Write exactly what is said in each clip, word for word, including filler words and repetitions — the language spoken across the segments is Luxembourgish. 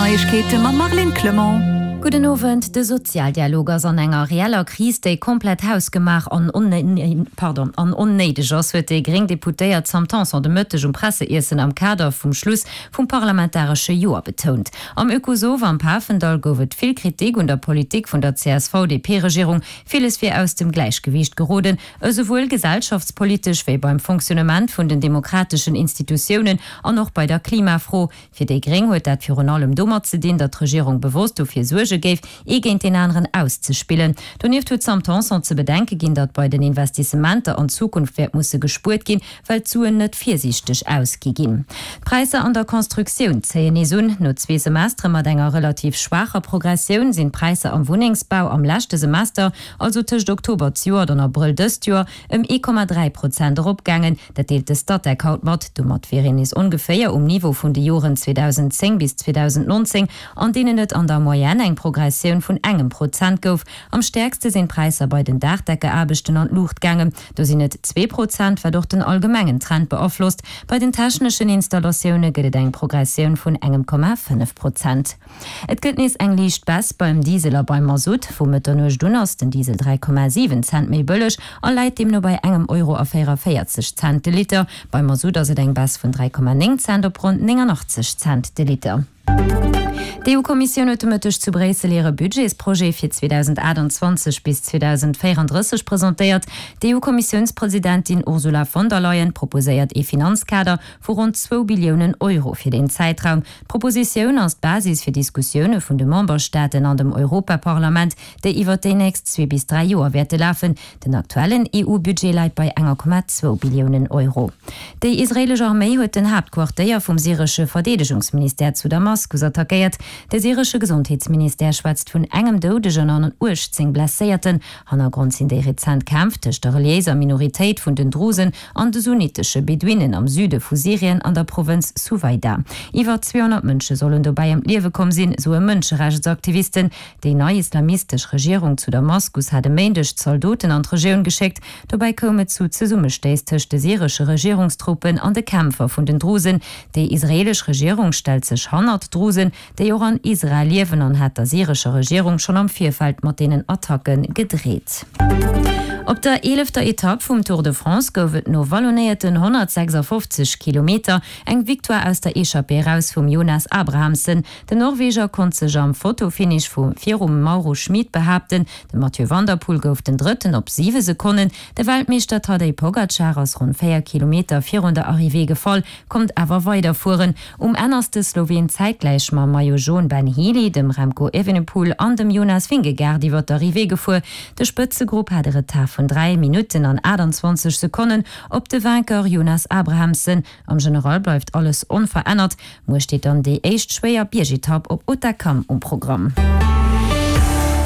Neiegkeete mam Marlène Clement. Gudden Owend, De Sozialdialog ass an enger reeller Kris, déi komplett hausgemaach an pardon, an onnéideg ass, huet déi gréng Deputéiert Sam Tanson de Mëtteg um Presseiessen am Kader vum Schluss vum parlamentaresche Joer betount. Am Oekosov am Pafendall gouf et vill Kritik un der Politik vun der C S V D P-Regierung. Villes wier aus dem Gläichgewiicht geroden, esouwuel gesellschaftspolitesch wéi beim Fonctionnement vun den demokrateschen Institutiounen an och bei der Klimafro. Fir déi Gréng huet dat virun allem domat ze dinn, datt d'Regierung bewosst dofir suerge géif, ee géint deen aneren auszespillen. Donieft huet d'Sam Tanson ze bedenke ginn, datt bei den Investissementer an Zukunft wäert musse gespuert ginn, well d'Suen net virsiichteg ausgi ginn. D'Präisser an der Constructioun zéien nees un. No zwee Semestere mat enger relativ schwaacher Progressioun sinn d'Präisser am Wunnengsbau am leschte Semester, also tëscht Oktober zejoert an Abrëll dëst Joer, ëm ee Komma dräi Prozent eropgaangen. Dat deelt de Statec haut mat. Domat wier een nees ongeféier um Niveau vun de Joren zweedausenzéng bis zweedausendnonzéng, an deenen et an der Moyenne eng Progressioun vun engem Prozent gouf. Am stäerkste sinn d'Präisser bei den Daachdeckeaarbechten an d'Luucht gaangen, do sinn et zwee Prozent, wat och den allgemengen Trend beaflosst. Bei den techneschen Installatioune gëtt et eng Progressioun vun engem Komma fënnef Prozent. Et gëtt nees eng liicht Baisse beim Diesel a beim Masutt. Vu Mëtternuecht un ass den Diesel dräi Komma siwen Cent méi bëlleg a läit deemno bei engem Euro a véierundavéierzeg Cent de Liter. Beim Masutt ass et eng Baisse vun dräi Komma néng Cent op ronn néngannachtzeg Cent de Liter. D'E U-Kommissioun huet de Mëtteg zu Bréissel hire Budgetsprojet fir zweedausendaachtanzwanzeg bis zweedausendvéierandrësseg presentéiert. D'E U-Kommissiounspresidentin Ursula von der Leyen proposéiert ee Finanzkader vu ronn zwou Billiounen Euro fir deen Zäitraum. D'Propositioun ass d'Basis fir Diskussioune vun de Memberstaaten an dem Europaparlament, déi iwwert déi nächst zwee bis dräi Joer wäerte lafen. Den aktuellen E U-Budget läit bei enger Komma zwou Billiounen Euro. Déi israeelesch Arméi huet den Haaptquartéier vum syresche Verdeedegungsministère zu Damaskus attackéiert. De syresche Gesondheetsministère schwätzt vun engem Doudegen an uechtzéng Blesséierten. Hannergrond sinn déi rezent Kämpf tëscht der reliéiser Minoritéit vun den Drusen an de sunnitesche Beduinen am Süde vu Syrien an der Provënz Suwaida. Iwwer zweehonnert Mënsche sollen dobäi ëm d'Liewe komm sinn, soe Mënscherechtsaktivisten. Déi nei islamistesch Regierung zu Damaskus hat e Méindeg Zaldoten an d'Regioun geschéckt. Dobäi koum et zu Zesummestéiss tëscht de syresche Regierungstruppen an de Kämpfer vun den Drusen. Déi israeelesch Regierung stellt sech hannert d'Drusen, déi och an Israel liewen, an hat der syrescher Regierung schonn am Virfeld mat deenen Attacke gedreet. Op der eelefter Etapp vum Tour de France gouf et no wallonéierten honnertsechsafofzeg Kilometer eng Victoire aus der Echappée eraus vum Jonas Abrahamsen. Den Norweger konnt sech am Fotofinish vu virum Mauro Schmid behaapten. De Mathieu van der Poel gouf den Drëtten op siwe Sekonnen. De Weltmeeschter Tadej Pogacar ass ronn véier Kilometer virun der Arrivée gefall, konnt awer weiderfueren. Um Enn ass de Sloween zäitgläich mam Maillot Jaune Ben Healy, dem Remco Evenepoel an dem Jonas Vingegaard iwwer d'Arrivée gefuer. De Spëtzegrupp hat e Retard vun dräi Minutten an aachtanzwanzeg Sekonnen op de Vainqueur Jonas Abrahamsen. Am General bleift alles onverännert. Muer steet dann déi éischt schwéier Biergetapp op Hautacam um Programm.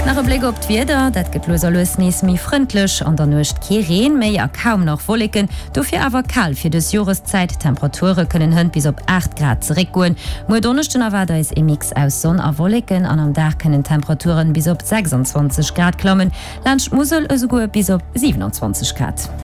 Nach e Bléck op d'Wieder, Dat gëtt lues a lues nees méi frëndlech. An der Nuecht kee Reen méi a kaum nach Wolleken, dofir awer kal fir dës Joreszäit. D'Temperature kënnen hënt bis op aacht Grad zeréckgoen. Muer Donneschden erwaart eis ee Mix aus Sonn a Wolleken an am Dag kënnen d'Temperaturen bis op sechsanzwanzeg Grad klammen, laanscht d'Musel esouguer bis op siwenanzwanzeg Grad.